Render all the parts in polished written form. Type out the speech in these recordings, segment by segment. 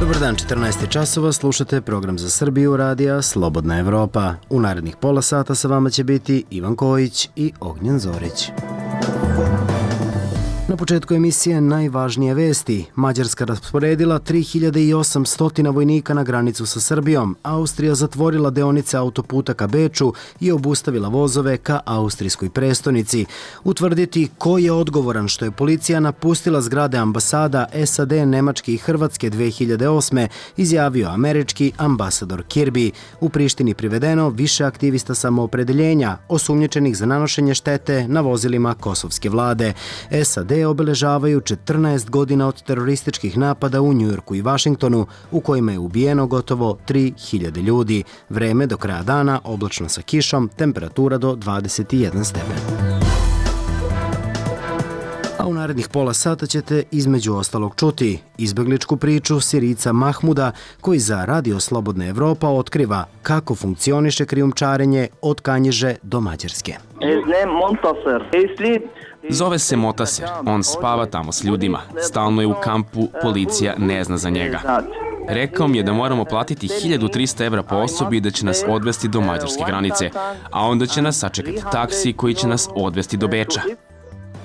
Dobar dan, 14 časova, slušate program za Srbiju radija Slobodna Evropa. U narednih pola sata sa vama će biti Ivan Kojić i Ognjen Zorić. Na početku emisije najvažnije vesti. Mađarska rasporedila 3800 vojnika na granicu sa Srbijom. Austrija zatvorila deonice autoputa ka Beču i obustavila vozove ka austrijskoj prestonici. Utvrditi ko je odgovoran što je policija napustila zgrade ambasada SAD, Nemačke i Hrvatske 2008. izjavio američki ambasador Kirby. U Prištini privedeno više aktivista samoopredeljenja, osumnjičenih za nanošenje štete na vozilima kosovske vlade. SAD obeležavaju 14 godina od terorističkih napada u Njujorku i Vašingtonu, u kojima je ubijeno gotovo 3000 ljudi. Vreme do kraja dana oblačno sa kišom, temperatura do 21 stepen. A u narednih pola sata ćete između ostalog čuti izbegličku priču Sirijca Mahmuda, koji za Radio Slobodna Evropa otkriva kako funkcioniše krijumčarenje od Kanjiže do Mađarske. Zove se Motaser, on spava tamo s ljudima. Stalno je u kampu, policija ne zna za njega. Rekao mi je da moramo platiti 1300 evra po osobi i da će nas odvesti do mađarske granice, a onda će nas sačekati taksi koji će nas odvesti do Beča.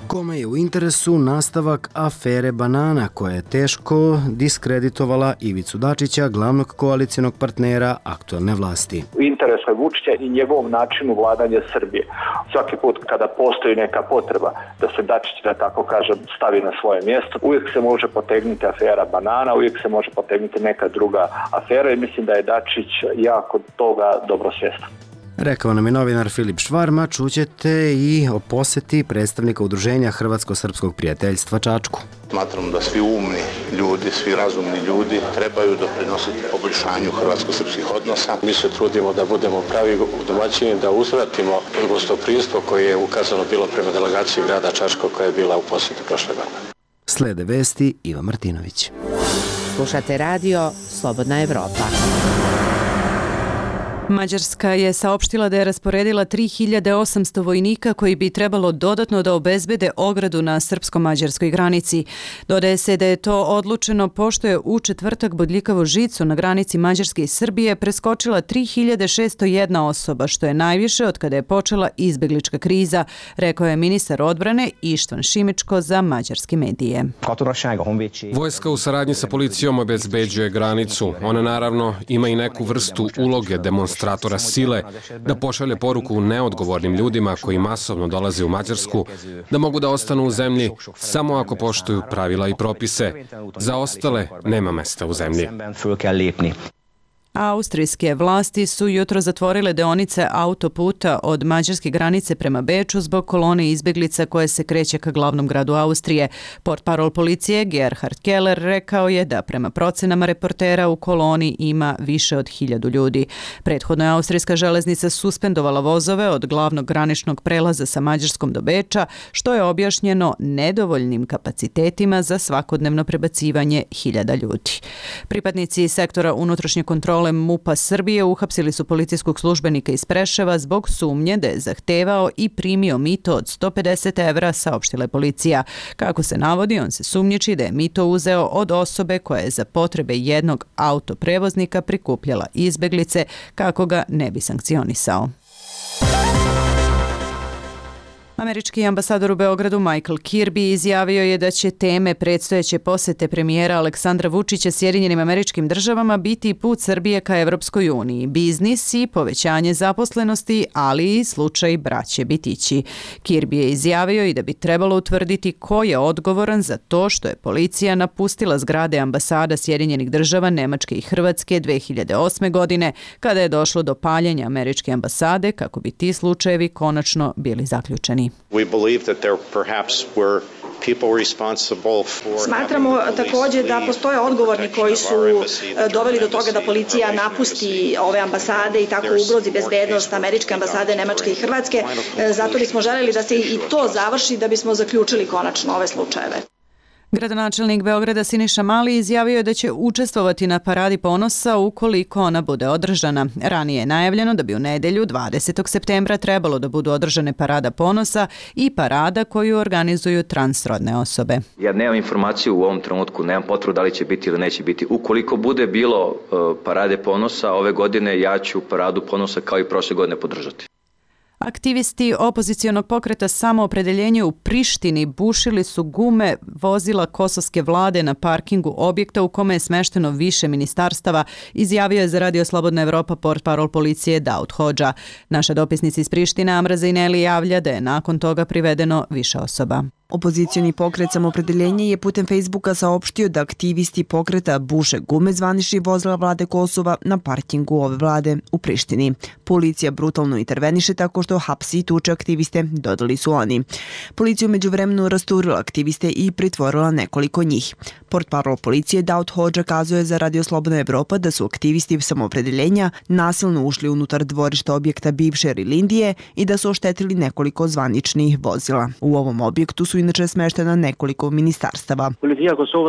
Kome je u interesu nastavak afere banana koja je teško diskreditovala Ivicu Dačića, glavnog koalicijonog partnera aktuelne vlasti. U interesu je Vučića i njegovom načinu vladanja Srbije. Svaki put kada postoji neka potreba da se Dačić, da tako kažem, stavi na svoje mjesto, uvijek se može potegnuti afera banana, uvijek se može potegnuti neka druga afera i mislim da je Dačić jako toga dobro svjestan. Rekao nam je novinar Filip Švarma. Čućete i o posjeti predstavnika udruženja Hrvatsko-srpskog prijateljstva Čačku. Smatram da svi umni ljudi, svi razumni ljudi trebaju doprinositi poboljšanju hrvatsko-srpskih odnosa. Mi se trudimo da budemo pravi domaćini, da uzvratimo gostoprimstvo koje je ukazano bilo prema delegaciji grada Čačko koja je bila u posjetu prošle godine. Slede vesti Iva Martinović. Slušate radio Slobodna Evropa. Mađarska je saopštila da je rasporedila 3800 vojnika koji bi trebalo dodatno da obezbede ogradu na srpsko-mađarskoj granici. Dodaje se da je to odlučeno pošto je u četvrtak bodljikavu žicu na granici Mađarske i Srbije preskočila 3601 osoba, što je najviše od kada je počela izbeglička kriza, rekao je ministar odbrane Ištvan Šimičko za mađarske medije. Vojska u saradnji sa policijom obezbeđuje granicu. Ona naravno ima i neku vrstu uloge demonstratora sile, da pošalje poruku neodgovornim ljudima koji masovno dolaze u Mađarsku, da mogu da ostanu u zemlji samo ako poštuju pravila i propise. Za ostale nema mesta u zemlji. Austrijske vlasti su jutro zatvorile deonice autoputa od mađarske granice prema Beču zbog kolone izbeglica koje se kreće ka glavnom gradu Austrije. Portparol policije Gerhard Keller rekao je da prema procenama reportera u koloni ima više od 1000 ljudi. Prethodno je austrijska železnica suspendovala vozove od glavnog graničnog prelaza sa Mađarskom do Beča, što je objašnjeno nedovoljnim kapacitetima za svakodnevno prebacivanje 1000 ljudi. Pripadnici sektora unutrašnje kontrole MUP-a Srbije uhapsili su policijskog službenika iz Preševa zbog sumnje da je zahtevao i primio mito od 150 evra, saopštila je policija. Kako se navodi, on se sumnjiči da je mito uzeo od osobe koja je za potrebe jednog autoprevoznika prikupljala izbeglice kako ga ne bi sankcionisao. Američki ambasador u Beogradu Michael Kirby izjavio je da će teme predstojeće posete premijera Aleksandra Vučića Sjedinjenim Američkim Državama biti put Srbije ka Evropskoj uniji, biznis i povećanje zaposlenosti, ali i slučaj braće Bitići. Kirby je izjavio i da bi trebalo utvrditi ko je odgovoran za to što je policija napustila zgrade ambasada Sjedinjenih Država, Nemačke i Hrvatske 2008. godine, kada je došlo do paljenja američke ambasade, kako bi ti slučajevi konačno bili zaključeni. Smatramo također da postoje odgovorni koji su doveli do toga da policija napusti ove ambasade i tako ugrozi bezbednost američke ambasade, Nemačke i Hrvatske. Zato bismo želeli da se i to završi da bismo zaključili konačno ove slučajeve. Gradonačelnik Beograda Siniša Mali izjavio je da će učestvovati na Paradi ponosa ukoliko ona bude održana. Ranije je najavljeno da bi u nedelju 20. septembra trebalo da budu održane Parada ponosa i parada koju organizuju transrodne osobe. Ja nemam informaciju u ovom trenutku, nemam potvrdu da li će biti ili neće biti. Ukoliko bude bilo Parade ponosa ove godine, ja ću Paradu ponosa kao i prošle godine podržati. Aktivisti opozicionog pokreta Samoopredeljenje u Prištini bušili su gume vozila kosovske vlade na parkingu objekta u kome je smešteno više ministarstava, izjavio je za Radio Slobodna Evropa portparol policije Daud Hodža. Naša dopisnica iz Prištine Amra Zejneli javlja da je nakon toga privedeno više osoba. Opozicioni pokret Samoopredeljenje je putem Facebooka saopštio da aktivisti pokreta buše gume zvaničnih vozila vlade Kosova na parkingu ove vlade u Prištini. Policija brutalno interveniše tako što hapsi i tuče aktiviste, dodali su oni. Policija umeđu vremenu rasturila aktiviste i pritvorila nekoliko njih. Portparol policije Daud Hodža kazuje za Radio Slobodna Evropa da su aktivisti Samoopredeljenja nasilno ušli unutar dvorišta objekta bivše Rilindije i da su oštetili nekoliko zvaničnih vozila. U ovom objektu su inače smeštena nekoliko ministarstava.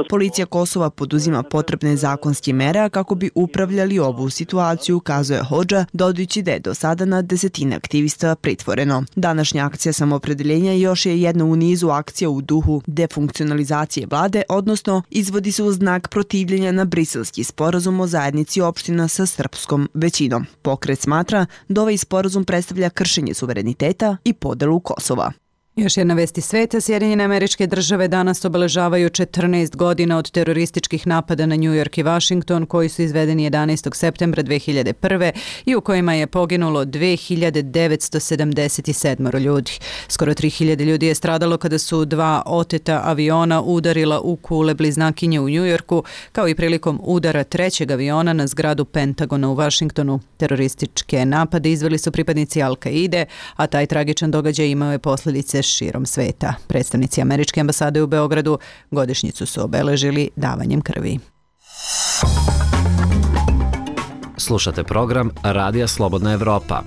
Policija Kosova poduzima potrebne zakonske mere kako bi upravljali ovu situaciju, kazuje Hodža, dodajući da je do sada na desetine aktivista pritvoreno. Današnja akcija Samoopredeljenja još je jedna u nizu akcija u duhu defunkcionalizacije vlade, odnosno izvodi se u znak protivljenja na briselski sporazum o zajednici opština sa srpskom većinom. Pokret smatra da ovaj sporazum predstavlja kršenje suvereniteta i podelu Kosova. Još jedna vest iz sveta. Sjedinjene Američke Države danas obeležavaju 14 godina od terorističkih napada na New York i Washington koji su izvedeni 11. septembra 2001. i u kojima je poginulo 2977 ljudi. Skoro 3000 ljudi je stradalo kada su dva oteta aviona udarila u kule bliznakinje u New Yorku, kao i prilikom udara trećeg aviona na zgradu Pentagona u Washingtonu. Terorističke napade izveli su pripadnici Al-Kaide, a taj tragičan događaj imao je posljedice širom sveta. Predstavnici Američke ambasade u Beogradu godišnjicu su obeležili davanjem krvi. Slušate program Radija Slobodna Evropa.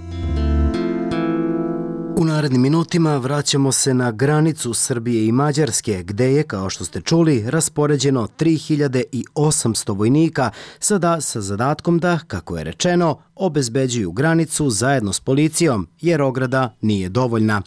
U narednim minutima vraćamo se na granicu Srbije i Mađarske, gde je, kao što ste čuli, raspoređeno 3800 vojnika, sada sa zadatkom da, kako je rečeno, obezbeđuju granicu zajedno s policijom, jer ograda nije dovoljna.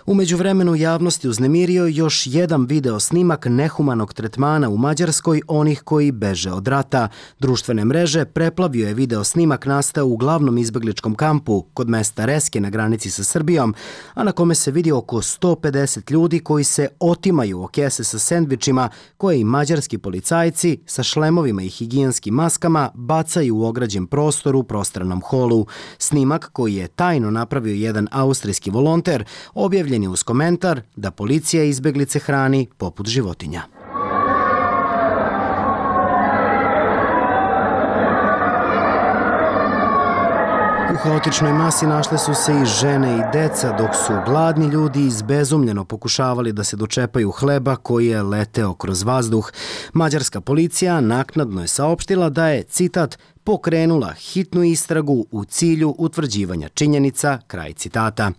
U međuvremenu javnosti uznemirio još jedan video snimak nehumanog tretmana u Mađarskoj onih koji beže od rata. Društvene mreže preplavio je video snimak nastao u glavnom izbegličkom kampu kod mesta Reske na granici sa Srbijom, a na kome se vidi oko 150 ljudi koji se otimaju o kese sa sendvičima koje i mađarski policajci sa šlemovima i higijenskim maskama bacaju u ograđen prostor u prostranom holu. Snimak, koji je tajno napravio jedan austrijski volonter, objavljen je uz komentar da policija izbeglice hrani poput životinja. U haotičnoj masi našle su se i žene i deca, dok su gladni ljudi izbezumljeno pokušavali da se dočepaju hleba koji je leteo kroz vazduh. Mađarska policija naknadno je saopštila da je, citat, pokrenula hitnu istragu u cilju utvrđivanja činjenica, kraj citata.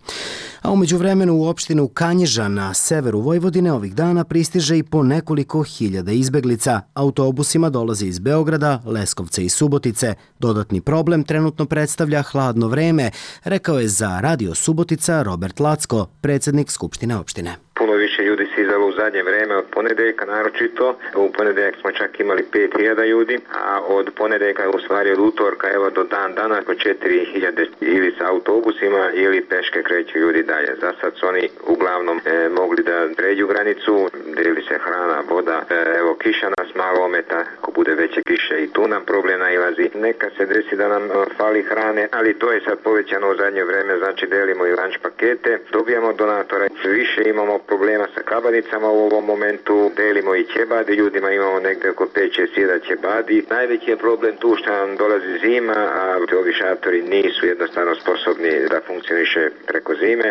A umeđu vremenu u opštinu Kanjiža na severu Vojvodine ovih dana pristiže i po nekoliko hiljada izbeglica. Autobusima dolaze iz Beograda, Leskovca i Subotice. Dodatni problem trenutno predstavlja hladno vreme, rekao je za Radio Subotica Robert Lacko, predsjednik Skupštine opštine. Puno više ljudi se izdalo u zadnje vreme od ponedeljka naročito. U ponedeljak smo čak imali 5000 ljudi, a od ponedeljka, u stvari od utorka, evo do dan danas, po 4000 ili sa autobusima ili peške kreću ljudi dalje. Za sad su oni uglavnom mogli da pređu granicu, deli se hrana, voda, evo kiša nas malo ometa, ako bude veće kiše i tu nam problem nailazi. Neka se desi da nam fali hrane, ali to je sad povećano u zadnje vreme, znači delimo i lanč pakete, dobijamo donatora, više imamo problema sa kabanicama u ovom momentu, delimo i ćebadi, ljudima imamo negde oko 5-6 ćebadi. Najveći je problem tu što nam dolazi zima, a ovi šatori nisu jednostavno sposobni da funkcioniše preko zime.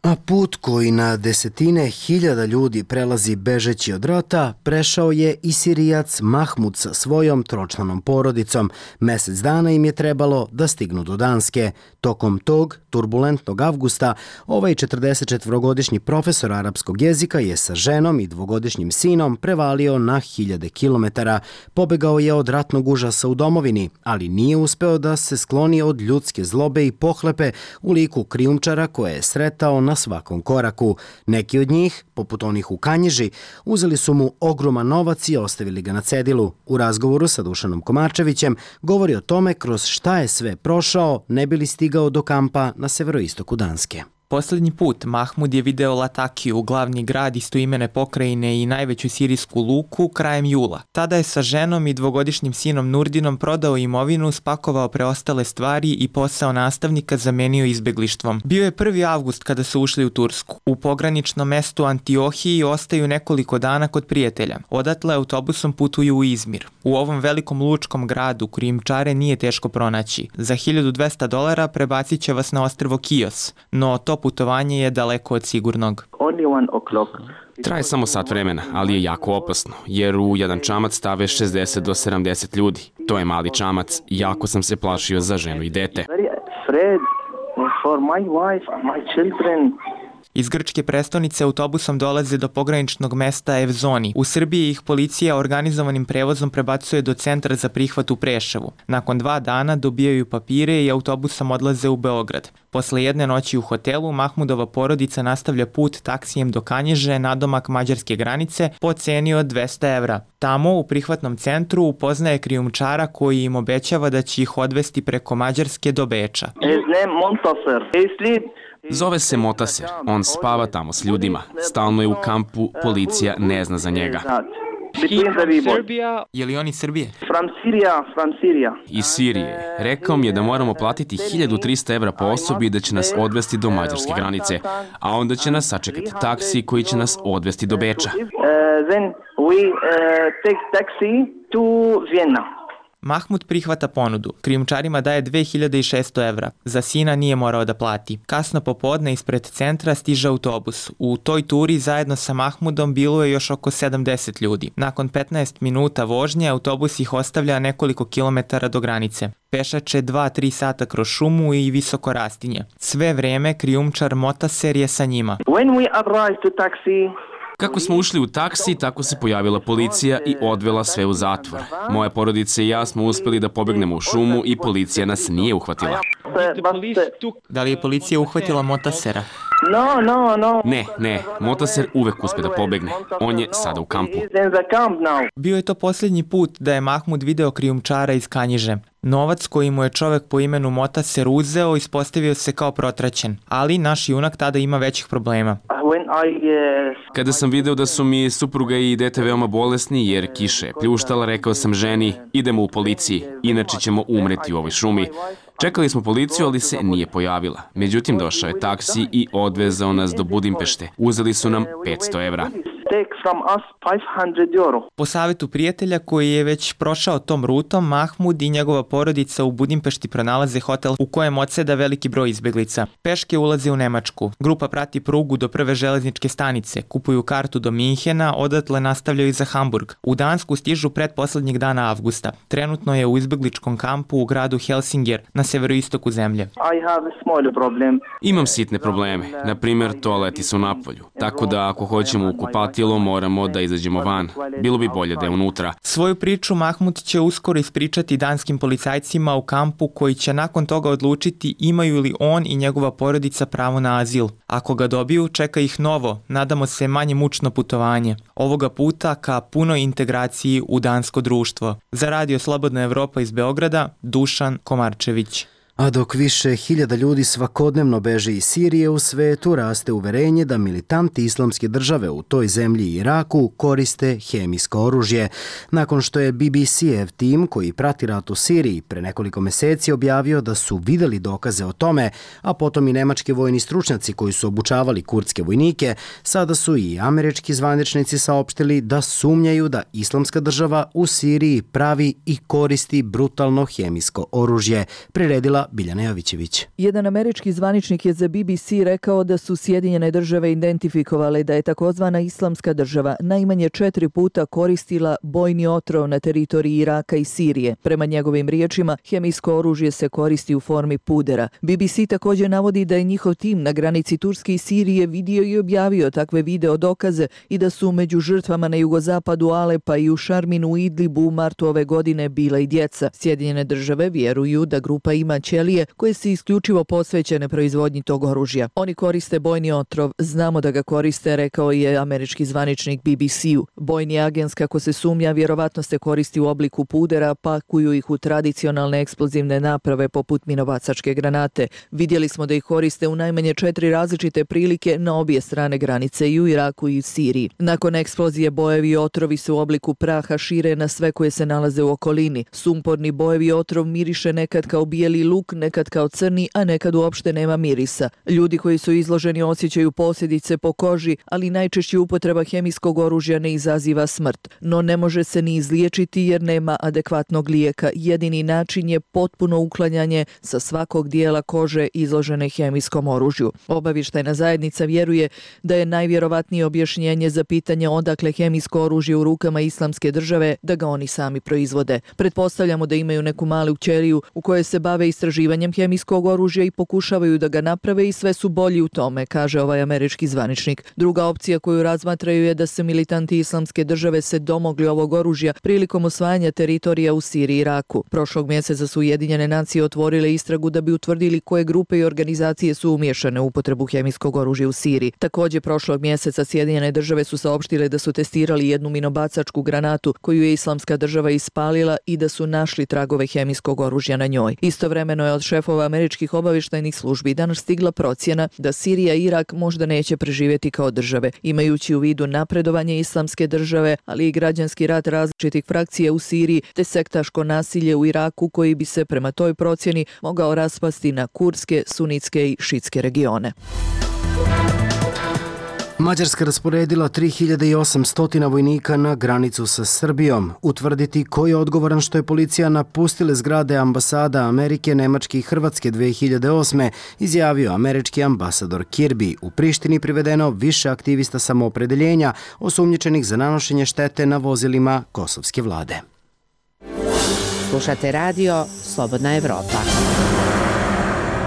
A put koji na desetine hiljada ljudi prelazi bežeći od rata, prešao je i Sirijac Mahmud sa svojom tročlanom porodicom. Mesec dana im je trebalo da stignu do Danske. Tokom tog turbulentnog avgusta, ovaj 44-godišnji profesor arapskog jezika je sa ženom i dvogodišnjim sinom prevalio na hiljade kilometara. Pobegao je od ratnog užasa u domovini, ali nije uspeo da se skloni od ljudske zlobe i pohlepe u liku krijumčara koje je sretao na svakom koraku. Neki od njih, poput onih u Kanjiži, uzeli su mu ogroman novac i ostavili ga na cedilu. U razgovoru sa Dušanom Komarčevićem govori o tome kroz šta je sve prošao ne bi li stigao do kampa na severoistoku Danske. Poslednji put Mahmud je video Latakiju, glavni grad istoimene pokrajine i najveću sirijsku luku, krajem jula. Tada je sa ženom i dvogodišnjim sinom Nurdinom prodao imovinu, spakovao preostale stvari i posao nastavnika zamenio izbeglištvom. Bio je 1. avgust kada su ušli u Tursku. U pograničnom mestu Antiohiji ostaju nekoliko dana kod prijatelja. Odatle autobusom putuju u Izmir. U ovom velikom lučkom gradu krijumčare nije teško pronaći. Za $1200 prebacit će vas na ostrvo Kios, no to putovanje je daleko od sigurnog. Traje samo sat vremena, ali je jako opasno, jer u jedan čamac stave 60 do 70 ljudi. To je mali čamac, jako sam se plašio za ženu i dete. Iz grčke prestonice autobusom dolaze do pograničnog mesta Evzoni. U Srbiji ih policija organizovanim prevozom prebacuje do centra za prihvat u Preševu. Nakon 2 dana dobijaju papire i autobusom odlaze u Beograd. Posle jedne noći u hotelu, Mahmudova porodica nastavlja put taksijem do Kanjiže, nadomak mađarske granice, po ceni od 200 evra. Tamo, u prihvatnom centru, upoznaje krijumčara koji im obećava da će ih odvesti preko Mađarske do Beča. Zove se Motaser, on spava tamo s ljudima. Stalno je u kampu, policija ne zna za njega. Je li on iz Srbije? Iz Sirije. Rekao mi je da moramo platiti 1300 evra po osobi i da će nas odvesti do mađarske granice, a onda će nas sačekati taksi koji će nas odvesti do Beča. Mahmud prihvata ponudu. Krijumčarima daje 2600 evra. Za sina nije morao da plati. Kasno popodne ispred centra stiže autobus. U toj turi zajedno sa Mahmudom bilo je još oko 70 ljudi. Nakon 15 minuta vožnje autobus ih ostavlja nekoliko kilometara do granice. Pešače 2-3 sata kroz šumu i visoko rastinje. Sve vreme krijumčar Motaser je sa njima. Kako smo ušli u taksi, tako se pojavila policija i odvela sve u zatvor. Moja porodica i ja smo uspeli da pobegnemo u šumu i policija nas nije uhvatila. Da li je policija uhvatila Motasera? Ne, Motaser uvek uspe da pobegne. On je sada u kampu. Bio je to posljednji put da je Mahmud video krijumčara iz Kanjiže. Novac koji mu je čovek po imenu Motaser uzeo ispostavio se kao protraćen, ali naš junak tada ima većih problema. Kada sam video da su mi supruga i dete veoma bolesni jer kiša je pljuštala, rekao sam ženi, idemo u policiji, inače ćemo umreti u ovoj šumi. Čekali smo policiju, ali se nije pojavila. Međutim, došao je taksi i odvezao nas do Budimpešte. Uzeli su nam 500 evra. Po savjetu prijatelja koji je već prošao tom rutom, Mahmud i njegova porodica u Budimpešti pronalaze hotel u kojem odseda veliki broj izbeglica. Peške ulaze u Nemačku. Grupa prati prugu do prve železničke stanice, kupuju kartu do Minhena, odatle nastavljaju za Hamburg. U Dansku stižu pretposlednjeg dana avgusta. Trenutno je u izbegličkom kampu u gradu Helsinger, na severoistoku zemlje. Imam sitne probleme. Na primjer, toaleti su napolju. Tako da ako hoćemo u kupatilo, moramo da izađemo van. Bilo bi bolje da je unutra. Svoju priču Mahmud će uskoro ispričati danskim policajcima u kampu koji će nakon toga odlučiti imaju li on i njegova porodica pravo na azil. Ako ga dobiju, čeka ih novo, nadamo se manje mučno putovanje. Ovoga puta ka punoj integraciji u dansko društvo. Za Radio Slobodna Evropa iz Beograda, Dušan Komarčević. A dok više hiljada ljudi svakodnevno beže iz Sirije, u svetu raste uverenje da militanti islamske države u toj zemlji i Iraku koriste hemijsko oružje. Nakon što je BBC-ev tim koji prati rat u Siriji pre nekoliko meseci objavio da su videli dokaze o tome, a potom i nemački vojni stručnjaci koji su obučavali kurdske vojnike, sada su i američki zvaničnici saopštili da sumnjaju da islamska država u Siriji pravi i koristi brutalno hemijsko oružje, priredila Biljana Jovićević. Jedan američki zvaničnik je za BBC rekao da su Sjedinjene države identifikovale da je takozvana Islamska država najmanje 4 puta koristila bojni otrov na teritoriji Iraka i Sirije. Prema njegovim riječima, hemijsko oružje se koristi u formi pudera. BBC također navodi da je njihov tim na granici Turske i Sirije vidio i objavio takve video dokaze i da su među žrtvama na jugozapadu Alepa i u Šarminu u Idlibu u martu ove godine bila i djeca. Sjedinjene države vjeruju da grupa ima ćelije koje se isključivo posvećene proizvodnji tog oružja. Oni koriste bojni otrov, znamo da ga koriste, rekao je američki zvaničnik BBC-u. Bojni agens, kako se sumnja, vjerovatno se koristi u obliku pudera, pakuju ih u tradicionalne eksplozivne naprave poput minobacačke granate. Vidjeli smo da ih koriste u najmanje 4 različite prilike na obje strane granice, i u Iraku i u Siriji. Nakon eksplozije bojevi i otrovi se u obliku praha šire na sve koje se nalaze u okolini. Sumporni bojevi otrov miriše nekad kao bijeli luk, nekad kao crni, a nekad uopšte nema mirisa. Ljudi koji su izloženi osjećaju posljedice po koži, ali najčešće upotreba hemijskog oružja ne izaziva smrt. No ne može se ni izliječiti jer nema adekvatnog lijeka. Jedini način je potpuno uklanjanje sa svakog dijela kože izložene hemijskom oružju. Obavještajna zajednica vjeruje da je najvjerovatnije objašnjenje za pitanje odakle hemijsko oružje u rukama Islamske države da ga oni sami proizvode. Pretpostavljamo da imaju neku malu ćeliju u kojoj se bave istraživanjem hemijskog oružja i pokušavaju da ga naprave i sve su bolji u tome, kaže ovaj američki zvaničnik. Druga opcija koju razmatraju je da se militanti Islamske države se domogli ovog oružja prilikom osvajanja teritorija u Siriji i Iraku. Prošlog mjeseca su Ujedinjene nacije otvorile istragu da bi utvrdili koje grupe i organizacije su umiješane u upotrebu hemijskog oružja u Siriji. Također prošlog mjeseca Sjedinjene države su saopštile da su testirali jednu minobacačku granatu koju je Islamska država ispalila i da su našli tragove hemijskog oružja na njoj. Istovremeno je od šefova američkih obavještajnih službi danas stigla procjena da Sirija i Irak možda neće preživjeti kao države, imajući u vidu napredovanje Islamske države, ali i građanski rat različitih frakcija u Siriji te sektaško nasilje u Iraku koji bi se prema toj procjeni mogao raspasti na kurdske, sunitske i šitske regione. Mađarska rasporedila 3800 vojnika na granicu sa Srbijom. Utvrditi ko je odgovoran što je policija napustile zgrade ambasada Amerike, Nemačke i Hrvatske 2008. izjavio američki ambasador Kirby. U Prištini privedeno više aktivista samoopredeljenja osumnjičenih za nanošenje štete na vozilima kosovske vlade. Slušate radio Slobodna Evropa.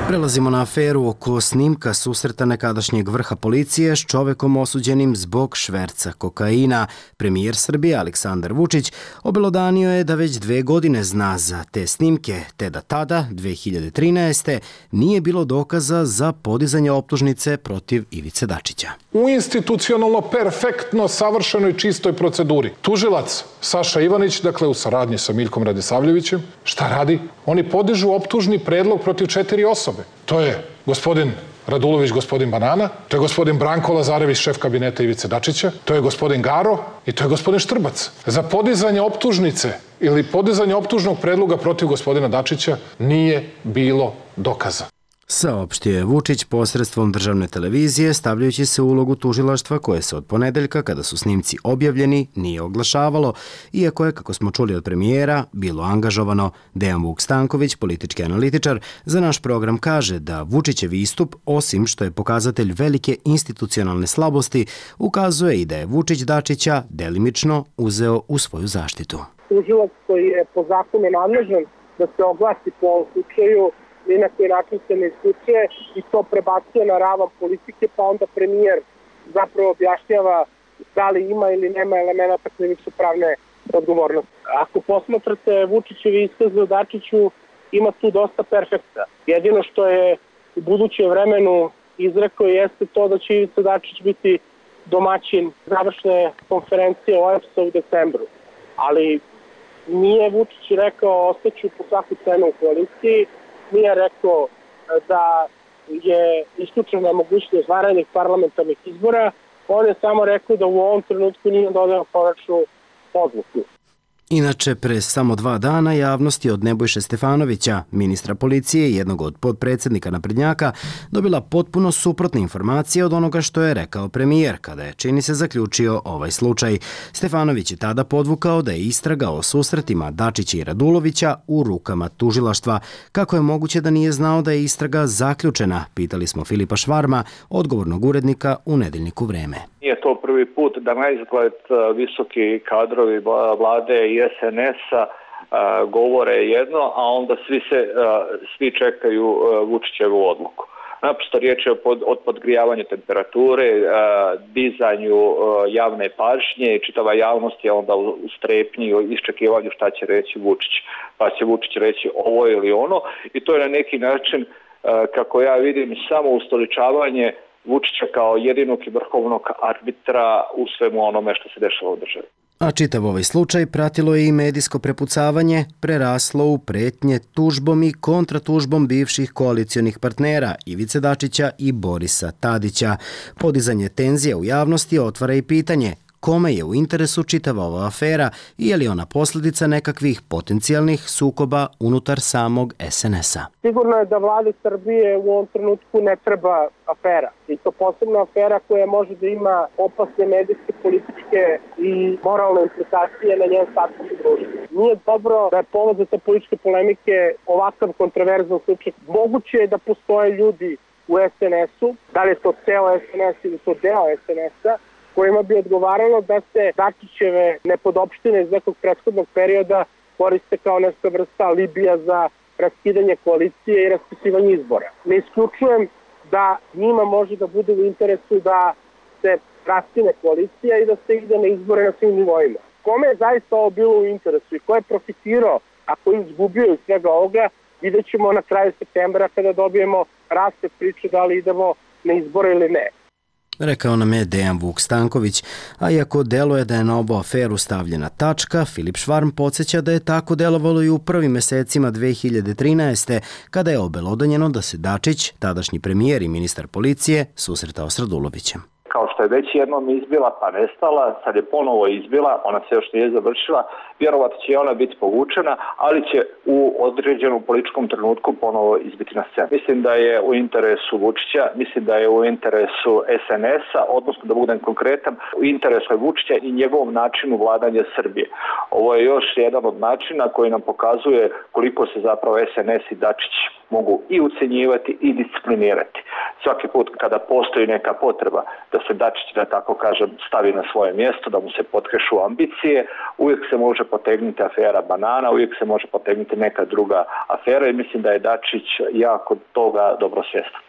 Prelazimo na aferu oko snimka susreta nekadašnjeg vrha policije s čovekom osuđenim zbog šverca kokaina. Premijer Srbije Aleksandar Vučić obelodanio je da već 2 godine zna za te snimke, te da tada, 2013. nije bilo dokaza za podizanje optužnice protiv Ivice Dačića. U institucionalno perfektno savršenoj čistoj proceduri. Tužilac Saša Ivanić, dakle u saradnji sa Miljkom Radisavljevićem, šta radi? Oni podižu optužni predlog protiv 4 osobe. To je gospodin Radulović, gospodin Banana, to je gospodin Branko Lazarević, šef kabineta Ivice Dačića, to je gospodin Garo i to je gospodin Štrbac. Za podizanje optužnice ili podizanje optužnog predloga protiv gospodina Dačića nije bilo dokaza. Saopštio je Vučić posredstvom državne televizije, stavljajući se u ulogu tužilaštva koje se od ponedeljka, kada su snimci objavljeni, nije oglašavalo, iako je, kako smo čuli od premijera, bilo angažovano. Dejan Vuk Stanković, politički analitičar, za naš program kaže da Vučićev istup, osim što je pokazatelj velike institucionalne slabosti, ukazuje i da je Vučić Dačića delimično uzeo u svoju zaštitu. Tužilac koji je po zakonu nadležan da se oglasi po ovom slučaju, ni na koji način se ne isključuje i to prebacuje na ravan politike, pa onda premijer zapravo objašnjava da li ima ili nema elementa krivično-pravne odgovornosti. Ako posmatrate Vučićevi iskaze o Dačiću, ima tu dosta perfekta. Jedino što je u budućem vremenu izrekao jeste to da će Ivica Dačić biti domaćin završne konferencije OEBS-a u decembru. Ali nije Vučić rekao ostaću po svaku cenu u koaliciji, nije rekao da je isključena mogućnost vanrednih parlamentarnih izbora, on je samo rekao da u ovom trenutku nije dodao konačnu odluku. Inače, pre samo 2 dana javnost je od Nebojše Stefanovića, ministra policije i jednog od podpredsednika naprednjaka, dobila potpuno suprotne informacije od onoga što je rekao premijer, kada je, čini se, zaključio ovaj slučaj. Stefanović je tada podvukao da je istraga o susretima Dačića i Radulovića u rukama tužilaštva. Kako je moguće da nije znao da je istraga zaključena, pitali smo Filipa Švarma, odgovornog urednika u Nedeljniku Vreme. Nije to prvi put da na izgled visoki kadrovi vlade i SNS-a govore jedno, a onda svi čekaju Vučićevu odluku. Naprosto riječ je o podgrijavanju temperature, dizanju javne pažnje i čitava javnost je onda u strepnji, u iščekivanju šta će reći Vučić. Pa će Vučić reći ovo ili ono i to je na neki način, kako ja vidim, samo ustoličavanje Vučića kao jedinog i vrhovnog arbitra u svemu onome što se dešava u državi. A čitav ovaj slučaj pratilo je i medijsko prepucavanje, preraslo u pretnje tužbom i kontratužbom bivših koalicionih partnera Ivice Dačića i Borisa Tadića. Podizanje tenzija u javnosti otvara i pitanje kome je u interesu čitava ova afera i je li ona posljedica nekakvih potencijalnih sukoba unutar samog SNS-a. Sigurno je da vladi Srbije u ovom trenutku ne treba afera. I to posebna afera koja može da ima opasne medijske, političke i moralne implikacije na njen status u društvu. Nije dobro da je povod za te političke polemike ovakav kontroverzan slučaj. Moguće je da postoje ljudi u SNS-u, da li je to ceo SNS ili to deo SNS-a, kojima bi odgovaralo da se Dačićeve nepodopštine iz nekog prethodnog perioda koriste kao neka vrsta alibija za raskidanje koalicije i raspisivanje izbora. Ne isključujem da njima može da bude u interesu da se raskine koalicija i da se ide na izbore na svim nivoima. Kome je zaista ovo bilo u interesu i ko je profitirao, a ko je izgubio iz svega ovoga, vidjet ćemo na kraju septembra kada dobijemo rasplet priče da li idemo na izbore ili ne. Rekao nam je Dejan Vuk Stanković, a iako deluje da je na ovu aferu stavljena tačka, Filip Švarm podsjeća da je tako delovalo i u prvim mesecima 2013. kada je obelodanjeno da se Dačić, tadašnji premijer i ministar policije, susretao s Radulovićem. Kao što je već jednom izbila pa nestala, sad je ponovo izbila, ona se još nije završila, vjerovatno će ona biti povučena, ali će u određenom političkom trenutku ponovo izbiti na scenu. Mislim da je u interesu Vučića, mislim da je u interesu SNS-a, odnosno da budem konkretan, u interesu je Vučića i njegovom načinu vladanja Srbije. Ovo je još jedan od načina koji nam pokazuje koliko se zapravo SNS i Dačić mogu i ucenjivati i disciplinirati. Svaki put kada postoji neka potreba da se Dačić, da tako kažem, stavi na svoje mjesto, da mu se potkešu ambicije, uvijek se može potegnuti afera banana, uvijek se može potegnuti neka druga afera i mislim da je Dačić jako toga dobro svjestan.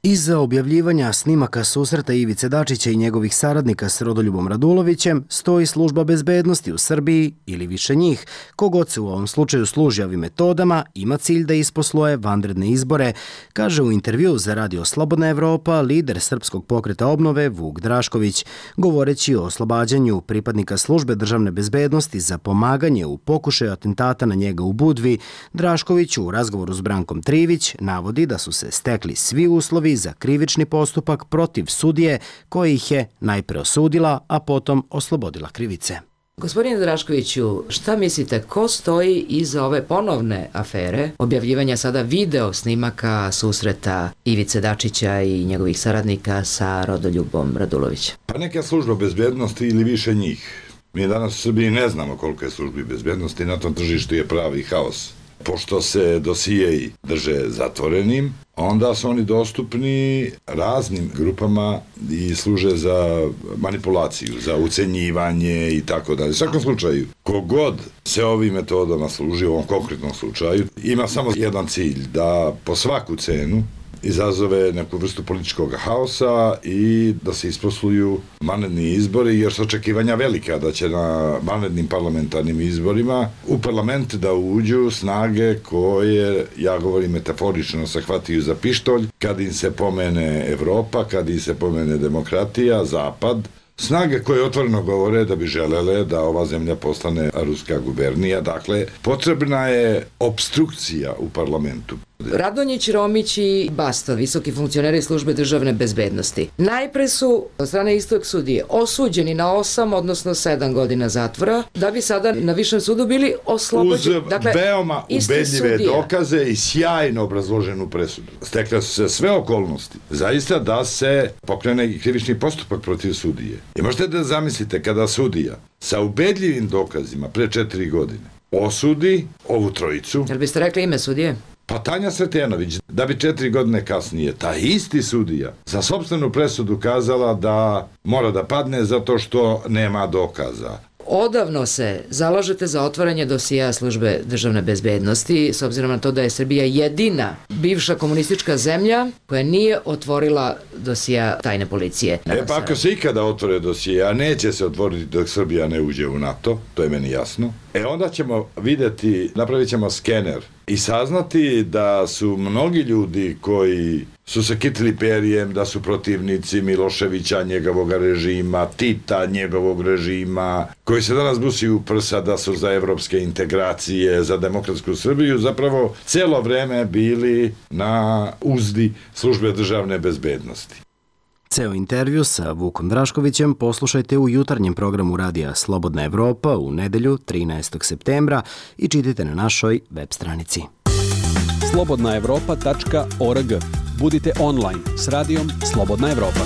Iza objavljivanja snimaka susreta Ivice Dačića i njegovih saradnika s Rodoljubom Radulovićem stoji služba bezbednosti u Srbiji ili više njih. Kogod se u ovom slučaju služi ovim metodama ima cilj da isposluje vanredne izbore, kaže u intervju za Radio Slobodna Evropa lider Srpskog pokreta obnove Vuk Drašković. Govoreći o oslobađanju pripadnika službe državne bezbednosti za pomaganje u pokušaju atentata na njega u Budvi, Drašković u razgovoru s Brankom Trivić navodi da su se stekli svi uslovi za krivični postupak protiv sudije koji ih je najpre osudila, a potom oslobodila krivice. Gospodine Draškoviću, šta mislite, ko stoji iza ove ponovne afere, objavljivanja sada video snimaka susreta Ivice Dačića i njegovih saradnika sa Rodoljubom Radulovićem? Pa neka služba bezbednosti ili više njih. Mi danas u Srbiji ne znamo koliko je službi bezbednosti, na tom tržištu je pravi haos. Pošto se dosijeji drže zatvorenim, onda su oni dostupni raznim grupama i služe za manipulaciju, za ucenjivanje i tako dalje. U svakom slučaju, kogod se ovim metodama služi, u ovom konkretnom slučaju, ima samo jedan cilj, da po svaku cenu izazove neku vrstu političkog haosa i da se isposluju vanredni izbori, jer su očekivanja velika da će na vanrednim parlamentarnim izborima u parlament da uđu snage koje, ja govorim metaforično, se hvataju za pištolj kad im se pomene Evropa, kad im se pomene demokratija, Zapad, snage koje otvoreno govore da bi želele da ova zemlja postane ruska gubernija. Dakle, potrebna je opstrukcija u parlamentu. Radonjić, Romić i Bastov, visoki funkcioneri službe državne bezbednosti. Najpre su od strane istog sudije osuđeni na 8, odnosno 7 godina zatvora, da bi sada na višem sudu bili oslobođeni. Uz veoma ubedljive dokaze i sjajno obrazloženu presudu. Stekle su se sve okolnosti, zaista da se pokrene krivični postupak protiv sudije. I možete da zamislite kada sudija sa ubedljivim dokazima pre 4 godine osudi ovu trojicu. Jel biste rekli ime sudije? Pa Tanja Sretenović, da bi 4 godine kasnije taj isti sudija za sopstvenu presudu kazala da mora da padne zato što nema dokaza. Odavno se zalažete za otvaranje dosija službe državne bezbednosti, s obzirom na to da je Srbija jedina bivša komunistička zemlja koja nije otvorila dosija tajne policije. Pa ako se ikada otvore dosije, a neće se otvoriti dok Srbija ne uđe u NATO, to je meni jasno, onda ćemo videti, napravit ćemo skener i saznati da su mnogi ljudi koji su se kitili perijem, da su protivnici Miloševića, njegovog režima, Tita, njegovog režima, koji se danas busi u prsa da su za evropske integracije, za demokratsku Srbiju, zapravo celo vreme bili na uzdi službe državne bezbednosti. Ceo intervju sa Vukom Draškovićem poslušajte u jutarnjem programu radija Slobodna Evropa u nedelju 13. septembra i čitajte na našoj web stranici. slobodnaevropa.org. Budite online s radijom Slobodna Evropa.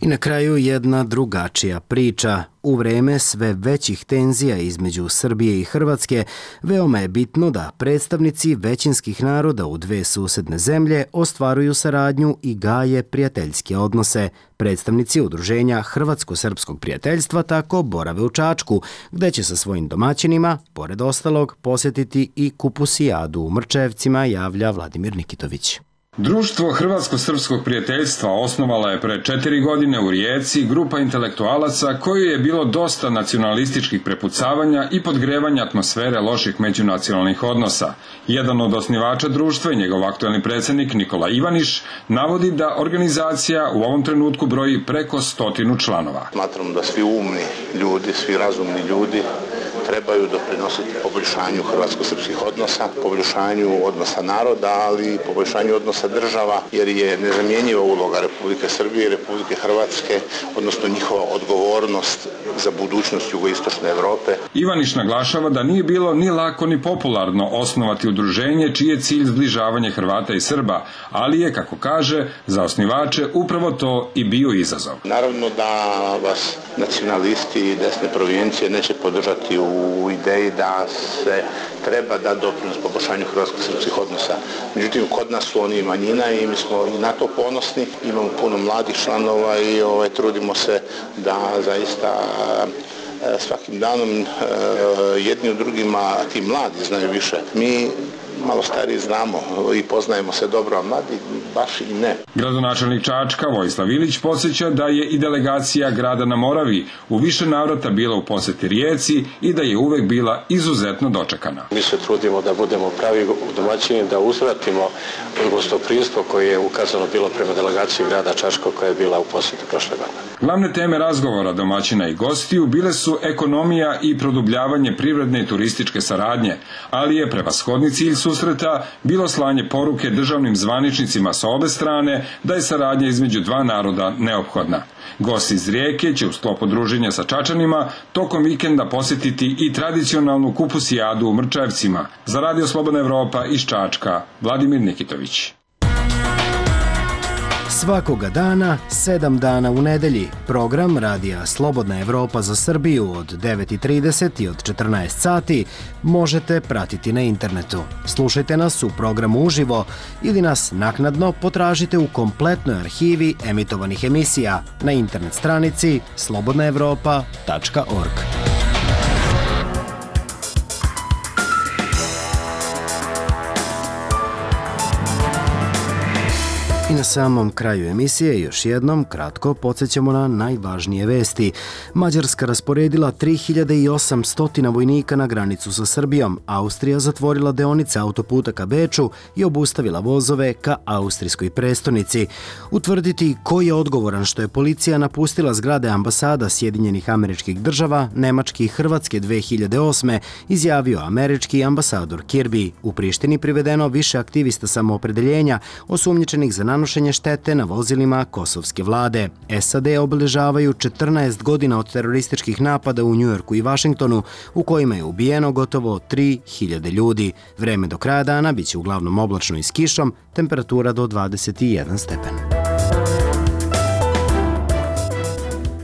I na kraju jedna drugačija priča. U vreme sve većih tenzija između Srbije i Hrvatske, veoma je bitno da predstavnici većinskih naroda u dve susedne zemlje ostvaruju saradnju i gaje prijateljske odnose. Predstavnici udruženja Hrvatsko-srpskog prijateljstva tako borave u Čačku, gde će sa svojim domaćinima, pored ostalog, posjetiti i Kupusijadu u Mrčevcima, javlja Vladimir Nikitović. Društvo Hrvatsko-srpskog prijateljstva osnovala je pre 4 godine u Rijeci grupa intelektualaca koju je bilo dosta nacionalističkih prepucavanja i podgrevanja atmosfere loših međunacionalnih odnosa. Jedan od osnivača društva i njegov aktuelni predsjednik Nikola Ivaniš navodi da organizacija u ovom trenutku broji preko 100 članova. Smatram da svi umni ljudi, svi razumni ljudi trebaju doprinositi poboljšanju hrvatsko-srpskih odnosa, poboljšanju odnosa naroda, ali i poboljšanju odnosa država, jer je nezamjenjiva uloga Republike Srbije i Republike Hrvatske, odnosno njihova odgovornost za budućnost jugoistočne Evrope. Ivaniš naglašava da nije bilo ni lako ni popularno osnovati udruženje čiji je cilj zbližavanje Hrvata i Srba, ali je, kako kaže, za osnivače upravo to i bio izazov. Naravno da vas nacionalisti i desne provincije neće podržati u ideji da se treba da doprinos poboljšanju hrvatsko-srpskih odnosa. Međutim, kod nas su oni manjina i mi smo i na to ponosni. Imamo puno mladih članova i trudimo se da zaista svakim danom jedni u drugima, ti mladi znaju više. Mi malo stariji znamo i poznajemo se dobro, a mladi baš i ne. Gradonačelnik Čačka Vojislav Ilić podsjeća da je i delegacija grada na Moravi u više navrata bila u poseti Rijeci i da je uvek bila izuzetno dočekana. Mi se trudimo da budemo pravi domaćini, da uzvratimo gostoprimstvo koje je ukazano bilo prema delegaciji grada Čačka koja je bila u poseti prošle godine. Glavne teme razgovora domaćina i gostiju bile su ekonomija i produbljavanje privredne i turističke saradnje, ali je prevashodni cilj susreta bilo slanje poruke državnim zvaničnicima sa obe strane da je saradnja između dva naroda neophodna. Gosti iz Rijeke će u sklopu druženja sa Čačanima tokom vikenda posjetiti i tradicionalnu Kupusijadu u Mrčevcima. Za Radio Slobodna Evropa iz Čačka, Vladimir Nikitović. Svakoga dana, 7 dana u nedelji, program Radija Slobodna Evropa za Srbiju od 9:30 i od 14 sati možete pratiti na internetu. Slušajte nas u programu uživo ili nas naknadno potražite u kompletnoj arhivi emitovanih emisija na internet stranici slobodnaevropa.org. I na samom kraju emisije još jednom kratko podsjećamo na najvažnije vesti. Mađarska rasporedila 3800 vojnika na granicu sa Srbijom. Austrija zatvorila deonice autoputa ka Beču i obustavila vozove ka austrijskoj prestonici. Utvrditi ko je odgovoran što je policija napustila zgrade ambasada Sjedinjenih Američkih Država, Nemačke i Hrvatske 2008. izjavio američki ambasador Kirby. U Prištini privedeno više aktivista samoopredeljenja osumnjičenih za nanošenje štete na vozilima kosovske vlade. SAD obeležavaju 14 godina od terorističkih napada u Njujorku i Vašingtonu u kojima je ubijeno gotovo 3000 ljudi. Vreme do kraja dana biće uglavnom oblačno i s kišom, temperatura do 21 stepen.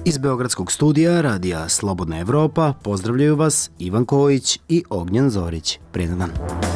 Iz Beogradskog studija Radija Slobodna Evropa pozdravljaju vas Ivan Kojić i Ognjen Zorić. Prijedan dan.